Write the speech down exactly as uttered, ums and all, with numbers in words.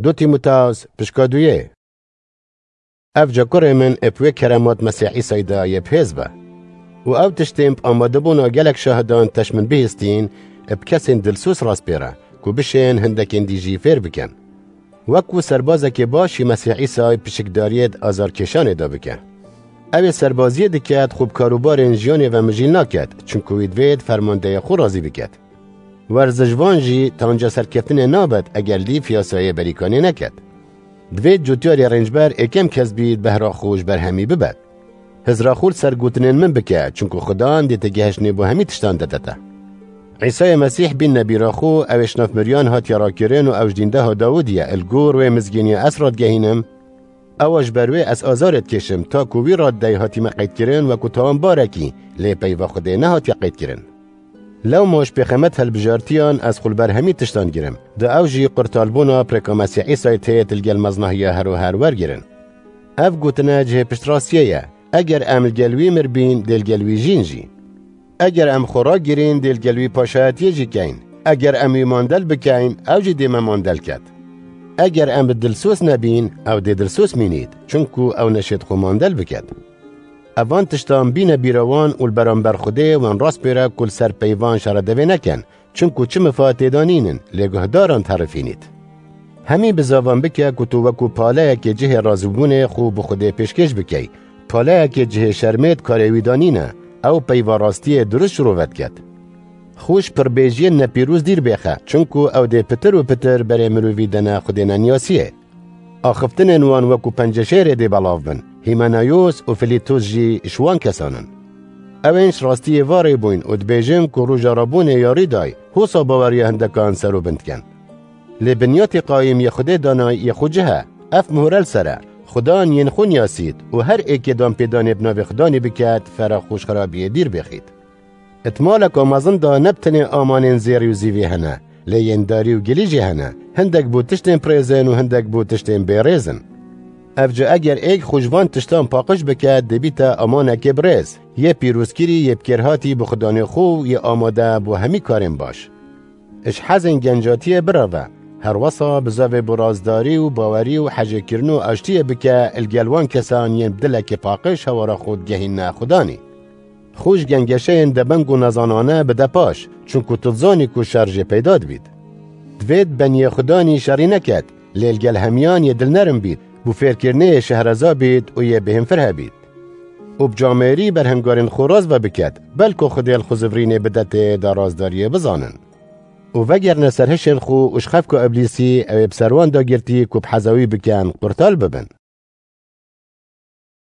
Du Tîmoteos pişka duyê. Ev ca kurê min ê bi wê keremat Mesîh Îsayî de yê bi hêz be. Û ew tiştên bi amadebûna gelek şahidan teş min bihîstîn, ê bi kesên dilsûz rast pêre, ku bişên hindekên dî jî fêr bikin. Wek ku serbazekê baş jî Mesîh Îsayî pişikdariyê di azarkêşanê de bike. Ew ê serbaziyê diket, xwe bi karûbarên jiyanê ve mijîl naket, çimku wî divêt fermandeyê xwe razî biket. Werziş van jî tanca serkeftinê nabet eger lîf yasayê berîkanê neket. Divêt cotyarê rêncber ê kêm kes bît behra xwe ji ber hemî bibet. Hizra xwe li ser gotinên min bike, çimku Xudan dê te gehiştinê bo hemî tiştan dete te. Îsayê Mesîh bîn nebîra xwe, ew ê ji nav miriyan hatiye rakirin û ew ji dîndeha Dawidî ye, li gor wê mizgîniya ez radgehînim, ewa ji ber wê ez azarê dikêşim, ta ku wî raddeyê hatîme qeydkirin wekû tawanbarekî, lê peyva Xwedê nehatiye qeydkirin. Lewma ji pêxemet hilbijartiyan ez xwe li ber hemî tiştan girim. Di ew jî qurtalbûna pirêka Mesîh Îsayê tê li gel meznahiya her û her wergirin. Ev gotine cihê piştrastiyê ye. Eger em li gel wî mir bîn, dê li gel wî jîn jî. Eger em xwe ragirîn, dê li gel wî paşayetiyê jî keyn. Eger em wî mandel bikeyn, ew jî dê me mandel ket. Eger em bi dilsûz nebîn, ew dê dilsûz mînît, çimku ew neşêt xwe mandel biket. Evan tiştan bîne bîra wan û li beramber Xwedê wan rast pêre ku li ser peyvan şeredevê nekin, çimku çi mifa têda nînin, lê guhdaran diherifînît. Hemî bizavan bike ku tu wekû paleyekê cihê razîbûnê xwe bi Xwedê pêşkêş bikey, paleyekê cihê şermê di karê wî de nîne, ew peyva rastiyê dirust ji rû vediket. Xwe ji pirbêjiyên nepîroz dîr bêxe, çimku ew dê pitir û pitir berê mirovî dene Xwedê neniyasiyê. Axiftinên wan wekû penceşêrê dê belav bin, Hîmenayos û Filîtos jî ji wan kesan in. Ew ên ji rastiyê va rê bûyn û dibêjin ku roja rabûnê ya rî day, hosa baweriya hindekan ser û bin dikin. Lê binyatê qayîm yê Xwedê danay yê xwe cih e, ev mihûre li ser e, Xudan yên xwe niyasît û her êkê danpêdanê bi navê Xudanê biket, fera xwe ji xirabiyê dîr bêxît. Di maleka mezin de ne bi tenê amanên zêrî û zîvî hene, lê yên darî û gilî jî hene, hindek bo tiştên birêz in û hindek bo tiştên bêrêz in. Ev ca eger êk xwe ji van tiştan paqij bike, dê bîte amanekê birêz, yê pîrozkirî, yê bikêrhatî bi Xudanê xwe û yê amade bo hemî karên baş. Ji hezên gencatiyê bireve, herwesa bizavê bi razdarî û bawerî û hejêkirin û aştiyê bike li gel wan kesan yên bi dilekê paqij hewara xwe digehîne Xudanî. Xwe ji gengeşeyên debeng û nezanane bide paş, çunku tu dizanî ku şer jê peyda dibît. Divêt beniyê Xudanî şerî neket, lê li gel hemiyan yê dilnerm bît, bo fêrkirinê yê şehreza bît û yê bêhemfirhe bît. Û bi camêrî berhengarên xwe rast ve biket, belko Xwedê li xwe zivirînê bide tê da razdariyê bizanin. Û vegerne ser hişên xwe û ji xefka Îblîsî, ew ê bi ser wan dagirtî ku bi heza wî bikin, qurtal bibin.